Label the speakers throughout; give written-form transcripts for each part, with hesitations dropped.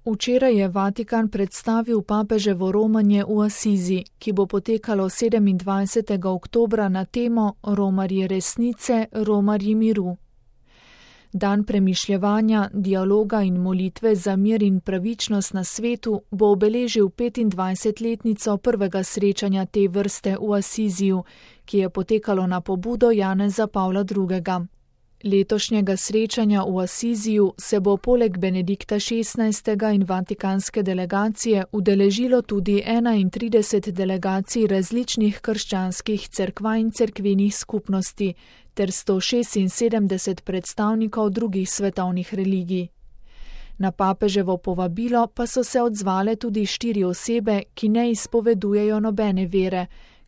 Speaker 1: Včeraj je Vatikan predstavil papeževo romanje v Asizi, ki bo potekalo 27. oktobra na temo Romarji resnice, Romarji miru. Dan premišljevanja, dialoga in molitve za mir in pravičnost na svetu bo obeležil 25-letnico prvega srečanja te vrste v Asiziju, ki je potekalo na pobudo Janeza Pavla II. Letošnjega srečanja v Asiziju se bo poleg Benedikta XVI. In vatikanske delegacije udeležilo tudi 31 delegacij različnih krščanskih cerkva in cerkvenih skupnosti ter 176 predstavnikov drugih svetovnih religij. Na papeževo povabilo pa so se odzvale tudi 4 osebe, ki ne izpovedujejo nobene vere,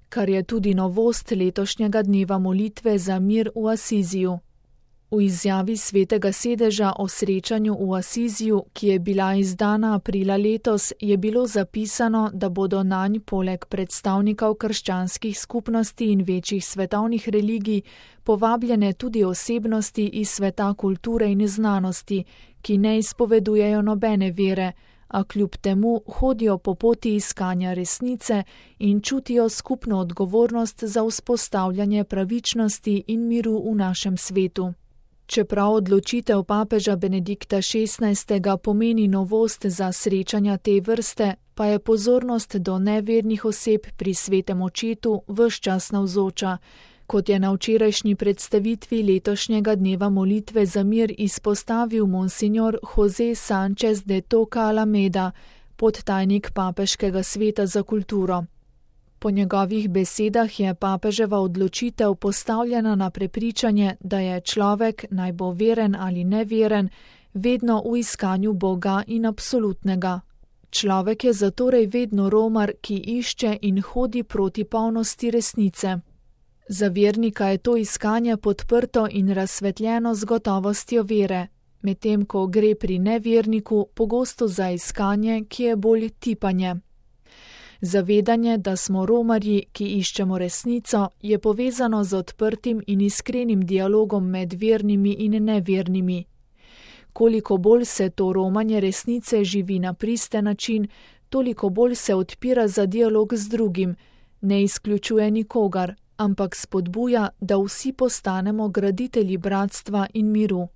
Speaker 1: kar je tudi novost letošnjega dneva molitve za mir v Asiziju. V izjavi Svetega sedeža o srečanju v Asiziju, ki je bila izdana aprila letos, je bilo zapisano, da bodo nanj poleg predstavnikov krščanskih skupnosti in večjih svetovnih religij povabljene tudi osebnosti iz sveta kulture in znanosti, ki ne izpovedujejo nobene vere, a kljub temu hodijo po poti iskanja resnice in čutijo skupno odgovornost za vzpostavljanje pravičnosti in miru v našem svetu. Čeprav odločitev papeža Benedikta XVI. Pomeni novost za srečanja te vrste, pa je pozornost do nevernih oseb pri svetem očetu ves čas navzoča, kot je na včerajšnji predstavitvi letošnjega dneva molitve za mir izpostavil monsignor José Sánchez de Toca Alameda, podtajnik Papeškega sveta za kulturo. Po njegovih besedah je papeževa odločitev postavljena na prepričanje, da je človek, naj bo veren ali neveren, vedno v iskanju Boga in absolutnega. Človek je zatorej vedno romar, ki išče in hodi proti polnosti resnice. Za vernika je to iskanje podprto in razsvetljeno z gotovostjo vere, medtem ko gre pri neverniku pogosto za iskanje, ki je bolj tipanje. Zavedanje, da smo romarji, ki iščemo resnico, je povezano z odprtim in iskrenim dialogom med vernimi in nevernimi. Koliko bolj se to romanje resnice živi na pristen način, toliko bolj se odpira za dialog z drugim, ne izključuje nikogar, ampak spodbuja, da vsi postanemo graditelji bratstva in miru.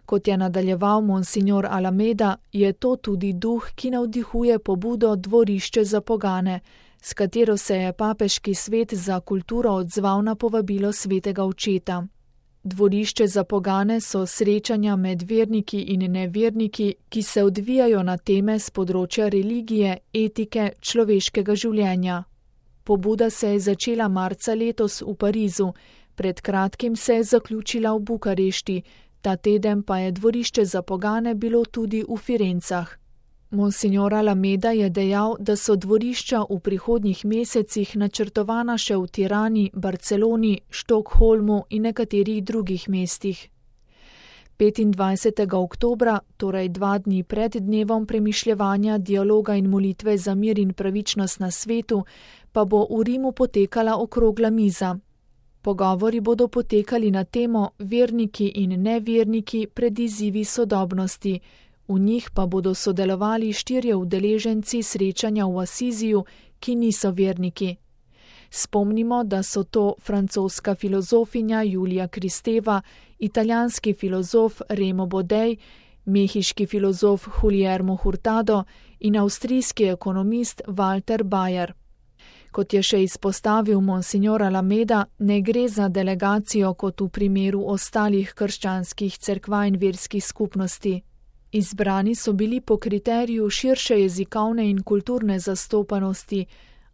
Speaker 1: Kot je nadaljeval monsignor Alameda, je to tudi duh, ki navdihuje pobudo Dvorišče za pogane, s katero se je Papeški svet za kulturo odzval na povabilo svetega očeta. Dvorišče za pogane so srečanja med verniki in neverniki, ki se odvijajo na teme z področja religije, etike, človeškega življenja. Pobuda se je začela marca letos v Parizu, pred kratkim se je zaključila v Bukarešti, ta teden pa je dvorišče za pogane bilo tudi v Firencah. Monsignor Alameda je dejal, da so dvorišča v prihodnjih mesecih načrtovana še v Tirani, Barceloni, Štokholmu in nekaterih drugih mestih. 25. oktobra, torej 2 dni pred dnevom premišljevanja, dialoga in molitve za mir in pravičnost na svetu, pa bo v Rimu potekala okrogla miza. Pogovori bodo potekali na temo Verniki in neverniki pred izzivi sodobnosti. V njih pa bodo sodelovali 4 udeleženci srečanja v Asiziju, ki niso verniki. Spomnimo, da so to francoska filozofinja Julija Kristeva, italijanski filozof Remo Bodej, mehiški filozof Guillermo Hurtado in avstrijski ekonomist Walter Bayer. Kot je še izpostavil monsignor Alameda, ne gre za delegacijo kot v primeru ostalih krščanskih cerkva in verskih skupnosti. Izbrani so bili po kriteriju širše jezikovne in kulturne zastopanosti,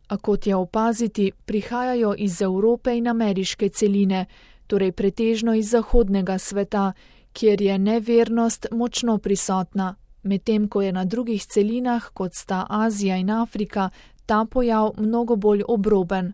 Speaker 1: a kot je opaziti, prihajajo iz Evrope in ameriške celine, torej pretežno iz zahodnega sveta, kjer je nevernost močno prisotna, medtem ko je na drugih celinah, kot sta Azija in Afrika, ta pojav mnogo bolj obroben.